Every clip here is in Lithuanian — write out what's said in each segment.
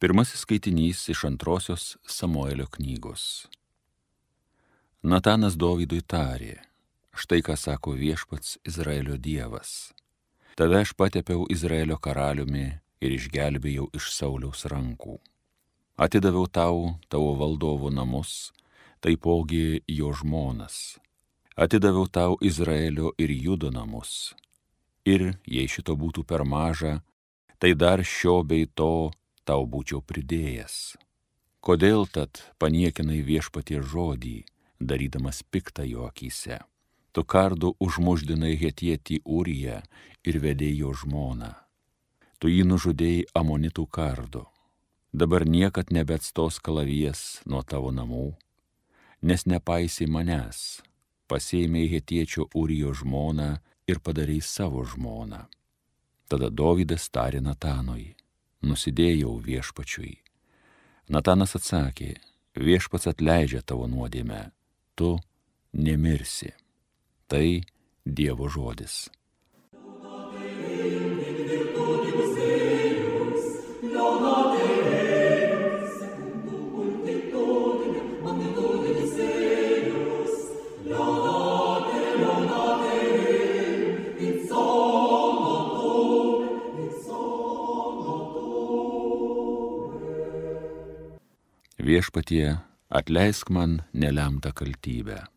Pirmasis skaitinys iš 2 Samuelio knygos. Natanas Dovydui tarė: štai ką sako viešpats Izraelio Dievas. Tave aš patepiau Izraelio karaliumi ir išgelbėjau iš Sauliaus rankų. Atidaviau tavo valdovo namus, taipogi jo žmonas. Atidaviau tau Izraelio ir Judo namus. Ir jei šito būtų per maža, tai dar šio bei to tau būčiau pridėjęs. Kodėl tad paniekinai viešpaties žodį, darydamas piktą jo akyse? Tu kardu užmuždinai hetietį Uriją ir vedei jo žmoną. Tu jį nužudėjai amonitų kardu. Dabar niekad nebeatstos kalavijas nuo tavo namų, nes nepaisai manęs, pasėmei hetiečio Urijo žmoną ir padarei savo žmoną. Tada Dovydas tarė Natanui: nusidėjau viešpačiui. Natanas atsakė: viešpats atleidžia tavo nuodėmę, tu nemirsi. Tai Dievo žodis. Viešpatie, atleisk man nelemtą kaltybę.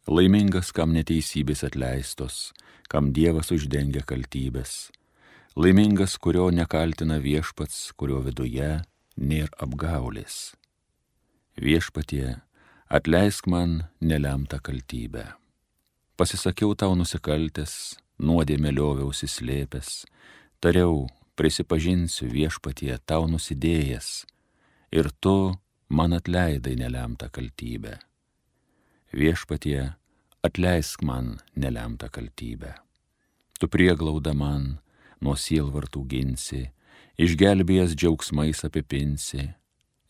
Laimingas, kam neteisybės atleistos, kam Dievas uždengia kaltybės. Laimingas, kurio nekaltina viešpats, kurio viduje nėra apgaulės. Viešpatie, atleisk man nelemtą kaltybę. Pasisakiau tau nusikaltęs, nuodėmę lioviausi slėpęs, tariau, prisipažinsiu viešpatie tau nusidėjęs, ir tu man atleidai nelemtą kaltybę. Viešpatie, atleisk man nelemtą kaltybę. Tu prieglauda man nuo sielvartų ginsi, išgelbėjęs džiaugsmais apipinsi.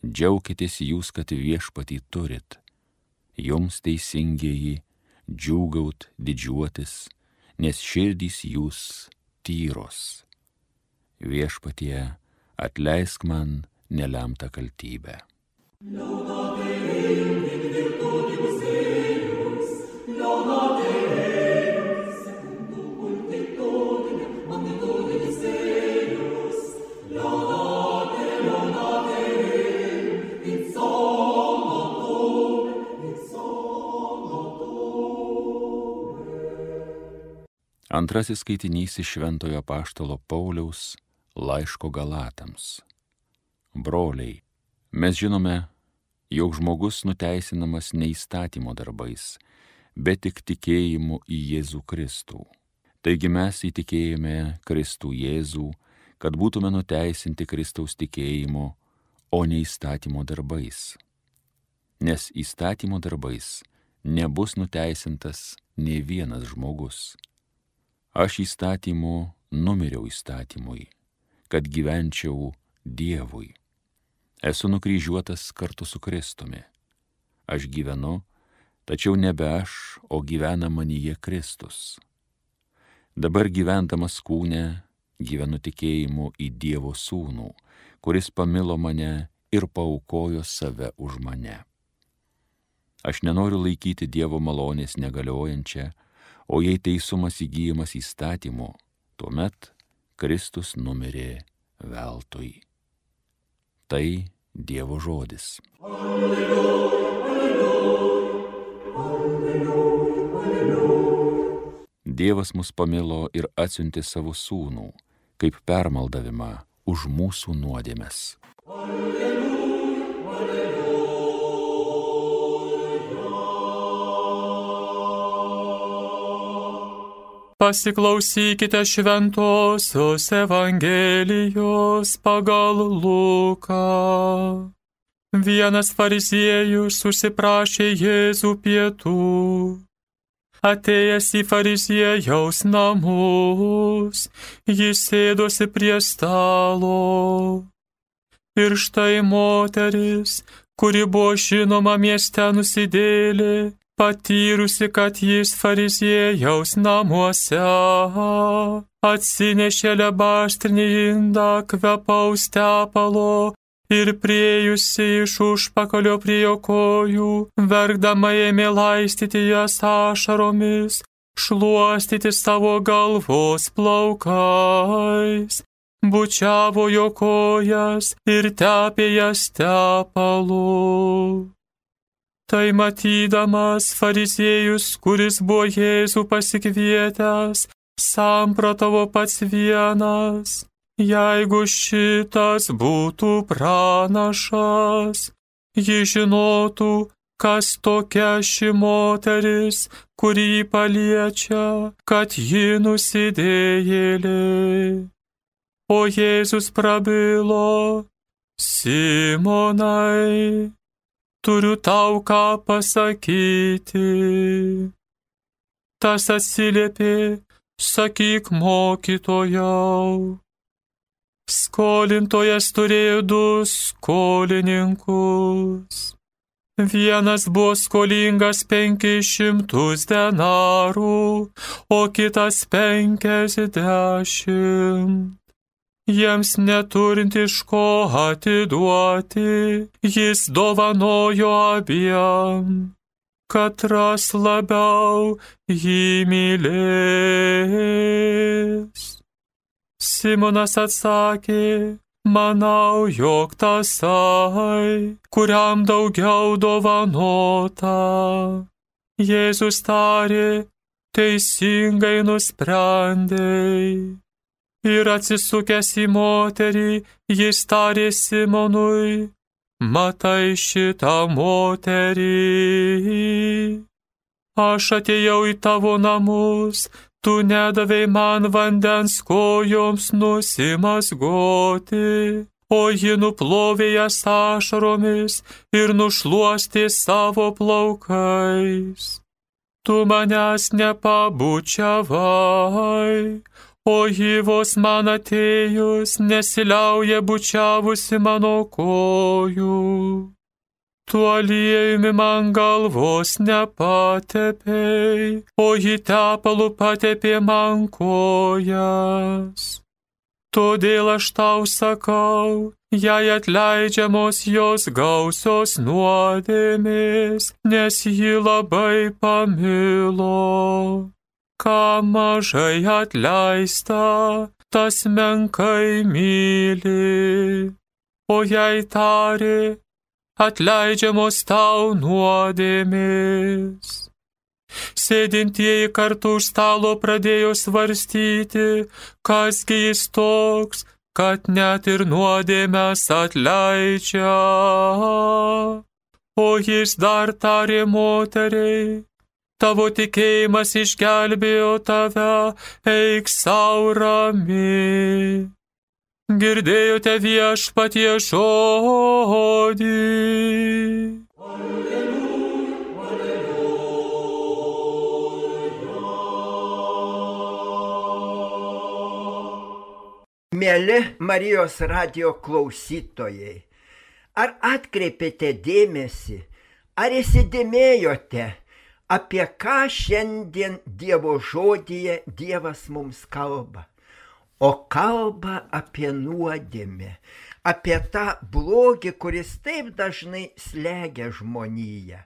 Džiaukitės jūs, kad viešpatį turit. Jums teisingieji, džiūgaut, didžiuotis, nes širdys jūs tyros. Viešpatie, atleisk man nelemtą kaltybę. Antrasis skaitinys iš Šventojo apaštalo Pauliaus laiško Galatams. Broliai, mes žinome, jog žmogus nuteisinamas ne įstatymo darbais, bet tik tikėjimu į Jėzų Kristų. Taigi mes įtikėjome Kristų Jėzų, kad būtume nuteisinti Kristaus tikėjimu, o ne įstatymo darbais. Nes įstatymo darbais nebus nuteisintas nė vienas žmogus. Aš įstatymu numiriau įstatymui, kad gyvenčiau Dievui. Esu nukryžiuotas kartu su Kristumi. Aš gyvenu, tačiau nebe aš, o gyvena manyje Kristus. Dabar gyvendamas kūne, gyvenu tikėjimu į Dievo Sūnų, kuris pamilo mane ir paaukojo save už mane. Aš nenoriu laikyti Dievo malonės negaliojančią, o jei teisumas įgyjamas įstatymu, tuomet Kristus numirė veltui. Tai Dievo žodis. Alleluja, alleluja, alleluja, alleluja. Dievas mus pamilo ir atsiuntė savo sūnų, kaip permaldavimą už mūsų nuodėmes. Alleluja, alleluja. Pasiklausykite Šventosios Evangelijos pagal Luką. Vienas fariziejus užsiprašė Jėzų pietų. Atėjęs į fariziejaus namus, jis sėdosi prie stalo. Ir štai moteris, kuri buvo žinoma mieste nusidėjėlė, patyrusi, kad jis fariziejaus namuose, atsinešė alebastrinį indą kvepaus tepalo Ir priejusi iš užpakalio prie jo kojų, verkdama ėmė laistyti jas ašaromis, šluostyti savo galvos plaukais, bučiavo jo kojas ir tepė jas tepalu. Tai matydamas fariziejus, kuris buvo Jėzų pasikvietęs, samprotavo pats vienas: jeigu šitas būtų pranašas, ji žinotų, kas tokia ši moteris, kurį paliečia, kad ji nusidėjėlė. O Jėzus prabilo: Simonai, turiu tau ką pasakyti. Tas atsiliepė: sakyk, mokytojau. Skolintojas turėjo 2 skolininkus. Vienas buvo skolingas 500 denarų, o kitas 50. Jiems neturint iš ko atiduoti, jis dovanojo abiem, katras labiau jį mylės. Simonas atsakė: manau, jog tasai, kuriam daugiau dovanota. Jėzus tarė: teisingai nusprendei. Ir atsisukęs į moterį, jis tarė Simonui: matai šitą moterį? Aš atėjau į tavo namus, tu nedavei man vandens kojoms nusimazgoti, o ji nuplovė jas ašaromis ir nušluostė savo plaukais. Tu manęs nepabučiavai, o ji vos man atėjus nesiliauja bučiavusi mano kojų. Tu aliejumi man galvos nepatepei, o ji tepalu patepė man kojas. Todėl aš tau sakau, jai atleidžiamos jos gausios nuodėmės, nes ji labai pamilo. Ką mažai atleista, tas menkai myli. O jai tarė: atleidžiamos tau nuodėmės. Sėdintieji kartu už stalo pradėjo svarstyti, kasgi jis toks, kad net ir nuodėmes atleidžia. O jis dar tarė moteriai: tavo tikėjimas išgelbėjo tave, eik sau rami. Girdėjote viešpatie žodį. Mieli Marijos radijo klausytojai, ar atkreipėte dėmesį, ar įsidėmėjote, apie ką šiandien Dievo žodyje Dievas mums kalba? O kalba apie nuodėmę, apie tą blogį, kuris taip dažnai slegia žmoniją.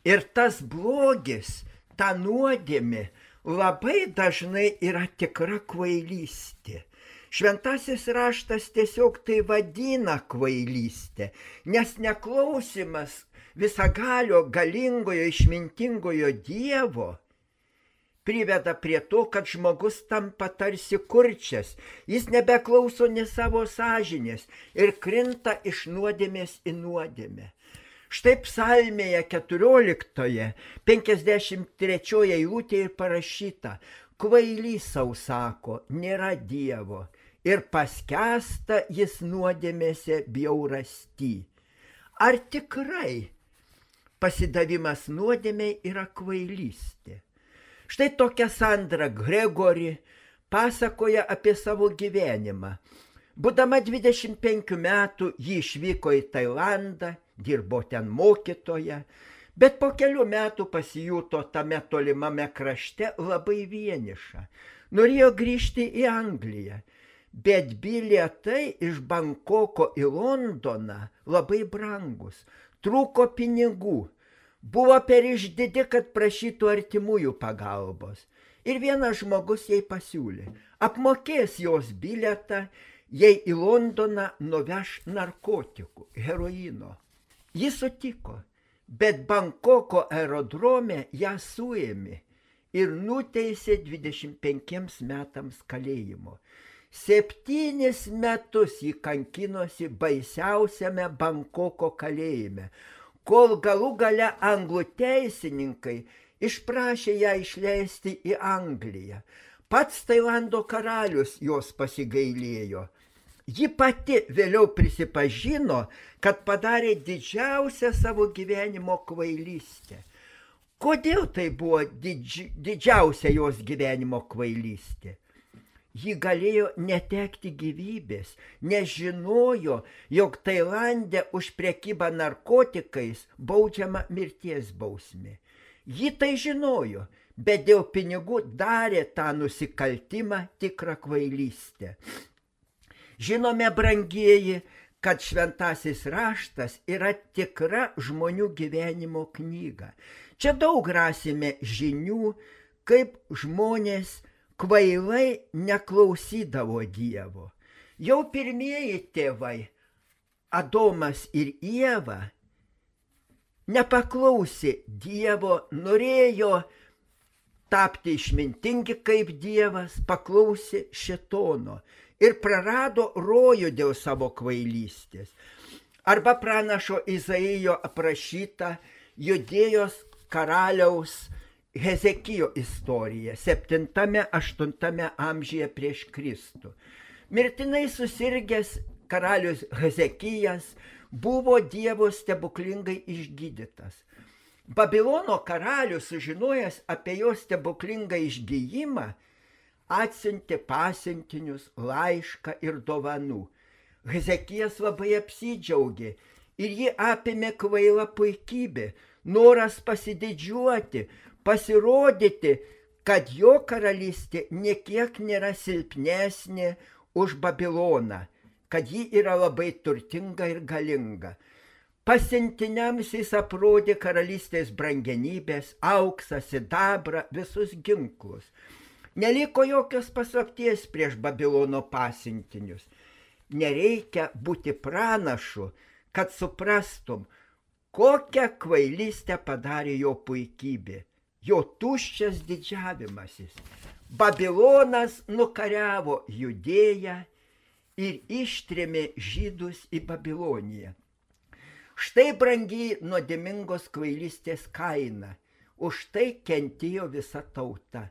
Ir tas blogis, ta nuodėmė, labai dažnai yra tikra kvailystė. Šventasis raštas tiesiog tai vadina kvailystė, nes neklausimas visagalio, galingojo, išmintingojo Dievo priveda prie to, kad žmogus tampa tarsi kurčias, jis nebeklauso ne savo sąžinės ir krinta iš nuodėmės į nuodėmę. Štai psalmėje 14, 53 eilutėje parašyta: kvailys sau sako, nėra Dievo, ir paskęsta jis nuodėmėse bjaurasty. Ar tikrai pasidavimas nuodėmei yra kvailystė? Štai tokia Sandra Gregori pasakoja apie savo gyvenimą. Būdama 25 metų ji išvyko į Tailandą, dirbo ten mokytoja, bet po kelių metų pasijuto tame tolimame krašte labai vieniša. Norėjo grįžti į Angliją, bet bilietai iš Bankoko į Londoną labai brangus, trūko pinigų, buvo per išdidi, kad prašytų artimųjų pagalbos. Ir vienas žmogus jai pasiūlė, apmokės jos bilietą, jei į Londoną nuveš narkotikų, heroino. Jis sutiko, bet Bankoko aerodrome ją suėmė ir nuteisė 25 metams kalėjimo. 7 metus jį kankinosi baisiausiame Bankoko kalėjime, kol galų gale anglų teisininkai išprašė ją išleisti į Angliją. Pats Tailando karalius jos pasigailėjo. Ji pati vėliau prisipažino, kad padarė didžiausią savo gyvenimo kvailystę. Kodėl tai buvo didžiausia jos gyvenimo kvailystė? Ji galėjo netekti gyvybės, nes žinojo, jog Tailande už prekybą narkotikais baudžiama mirties bausmė. Ji tai žinojo, bet dėl pinigų darė tą nusikaltimą tikrą kvailystę. Žinome, brangieji, kad šventasis raštas yra tikra žmonių gyvenimo knyga. Čia daug rasime žinių, kaip žmonės kvailai neklausydavo Dievo. Jau pirmieji tėvai, Adomas ir Ieva, nepaklausė Dievo, norėjo tapti išmintingi kaip Dievas, paklausė šėtono ir prarado rojų dėl savo kvailystės. Arba pranašo Izaijo aprašyta Judėjos karaliaus Hezekijo istorija 7-8 amžiuje prieš Kristų. Mirtinai susirgęs karalius Hezekijas buvo Dievo stebuklingai išgydytas. Babilono karalius, sužinojęs apie jo stebuklingą išgijimą, atsiuntė pasiuntinius, laišką ir dovanų. Hezekijas labai apsidžiaugė ir jį apėmė kvaila puikybė, noras pasididžiuoti, pasirodyti, kad jo karalystė niekiek nėra silpnesnė už Babiloną, kad ji yra labai turtinga ir galinga. Pasiuntiniams jis aprodė karalystės brangenybės, auksą, sidabrą, visus ginklus. Neliko jokios paslapties prieš Babilono pasiuntinius. Nereikia būti pranašu, kad suprastum, kokią kvailystę padarė jo puikybė, jo tuščias didžiavimasis. Babilonas nukariavo Judėją ir ištrėmė žydus į Babiloniją. Štai brangiai nuodėmingos kvailystės kaina, už tai kentėjo visa tauta.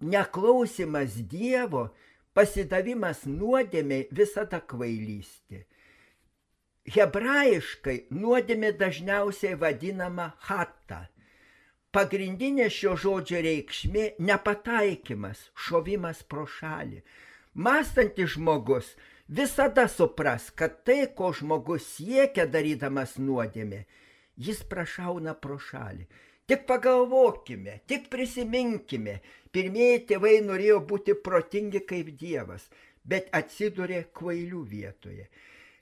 Neklausimas Dievo, pasidavimas nuodėmei visada kvailystė. Hebrajiškai nuodėmė dažniausiai vadinama chata. Pagrindinė šio žodžio reikšmė nepataikymas, šovimas pro šalį. Mąstantis žmogus visada supras, kad tai, ko žmogus siekia darydamas nuodėmę, jis prašauna pro šalį. Tik pagalvokime, tik prisiminkime, pirmieji tėvai norėjo būti protingi kaip Dievas, bet atsidūrė kvailių vietoje.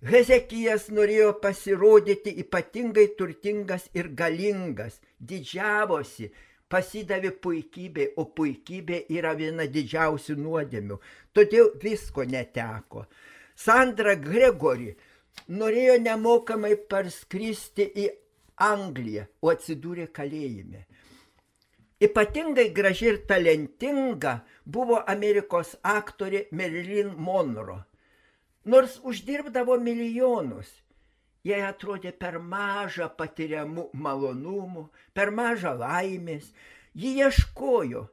Hezekijas norėjo pasirodyti ypatingai turtingas ir galingas, didžiavosi, pasidavė puikybei, o puikybė yra viena didžiausių nuodėmių, todėl visko neteko. Sandra Gregory norėjo nemokamai parskristi į Angliją, o atsidūrė kalėjime. Ypatingai graži ir talentinga buvo Amerikos aktorė Marilyn Monroe. Nors uždirbdavo milijonus, jai atrodė per maža patiriamų malonumų, per maža laimės. Ji ieškojo,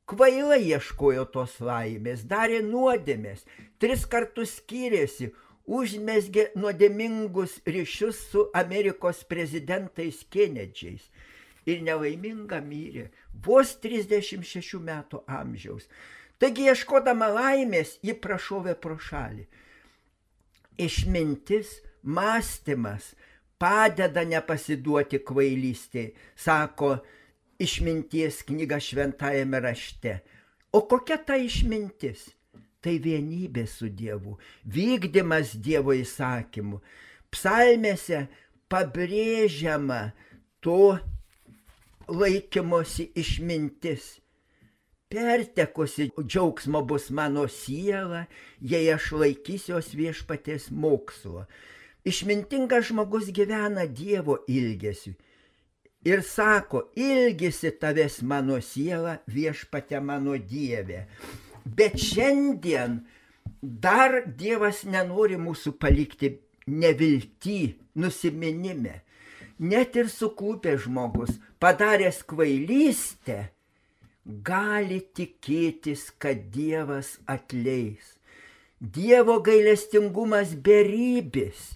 kvailai ieškojo tos laimės, darė nuodėmės, 3 kartus skyrėsi, užmezgė nuodėmingus ryšius su Amerikos prezidentais Kenedžiais ir nelaiminga mirė, vos 36 metų amžiaus. Taigi, ieškodama laimės, ji prašovė pro šalį. Išmintis, mąstymas padeda nepasiduoti kvailystei, sako išminties knyga šventajame rašte. O kokia ta išmintis? tai vienybė su Dievu, vykdymas Dievo įsakymų. Psalmėse pabrėžiama to laikymosi išmintis. Pertekusi džiaugsmo bus mano siela, jei aš laikysiuos viešpaties mokslo. Išmintingas žmogus gyvena Dievo ilgesiu ir sako, ilgisi tavęs mano siela, viešpate mano Dieve. Bet šiandien dar Dievas nenori mūsų palikti nevilty, nusiminime. Net ir suklupęs žmogus, padaręs kvailystę, gali tikėtis, kad Dievas atleis. Dievo gailestingumas beribis.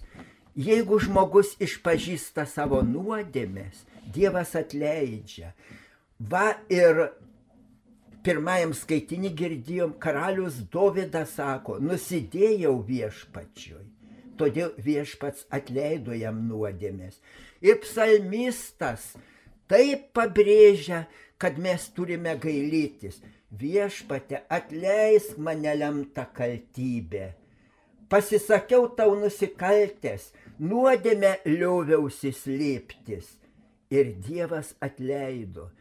Jeigu žmogus išpažįsta savo nuodėmes, Dievas atleidžia. Va ir pirmajam skaitinį girdėjom, karalius Dovydas sako, nusidėjau viešpačiui, todėl viešpats atleido jam nuodėmes. Ir psalmistas taip pabrėžia, kad mes turime gailėtis. Viešpate, atleisk mane lemtą kaltybę. Pasisakiau tau nusikaltęs, nuodėmę lioviausi slėptis. Ir Dievas atleido.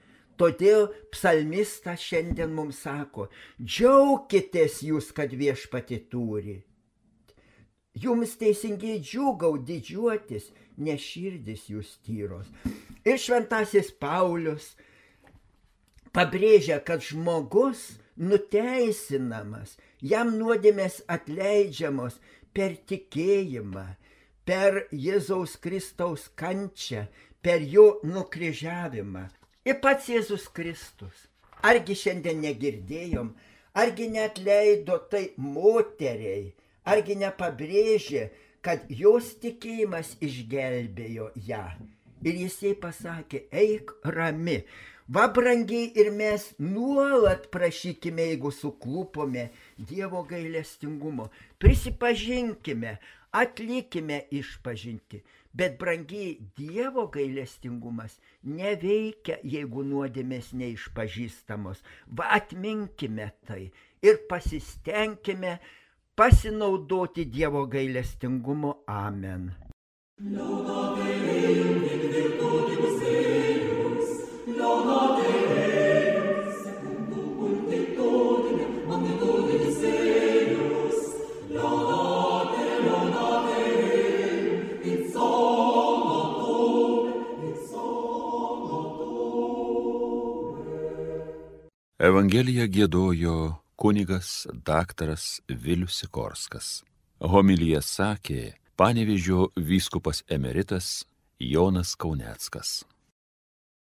Todėl psalmistas šiandien mums sako, džiaukitės jūs, kad viešpatį turi. Jums teisingai džiūgau didžiuotis, nes širdis jūs tyros. Ir šventasis Paulius pabrėžia, kad žmogus nuteisinamas, jam nuodėmės atleidžiamos per tikėjimą, per Jėzaus Kristaus kančią, per jo nukryžiavimą. Ir pats Jėzus Kristus, argi šiandien negirdėjom, argi neatleido tai moteriai, argi nepabrėžė, kad jos tikėjimas išgelbėjo ją. Ir jisai pasakė, eik rami. Va, brangiai, ir mes nuolat prašykime, jeigu suklupome, Dievo gailestingumo. Prisipažinkime, atlikime išpažinti. Bet, brangiai, Dievo gailestingumas neveikia, jeigu nuodėmės neišpažįstamos. Va, atminkime tai ir pasistengime pasinaudoti Dievo gailestingumo. Amen. Evangeliją giedojo kunigas daktaras Vilius Sikorskas. Homiliją sakė Panevėžio vyskupas emeritas Jonas Kauneckas.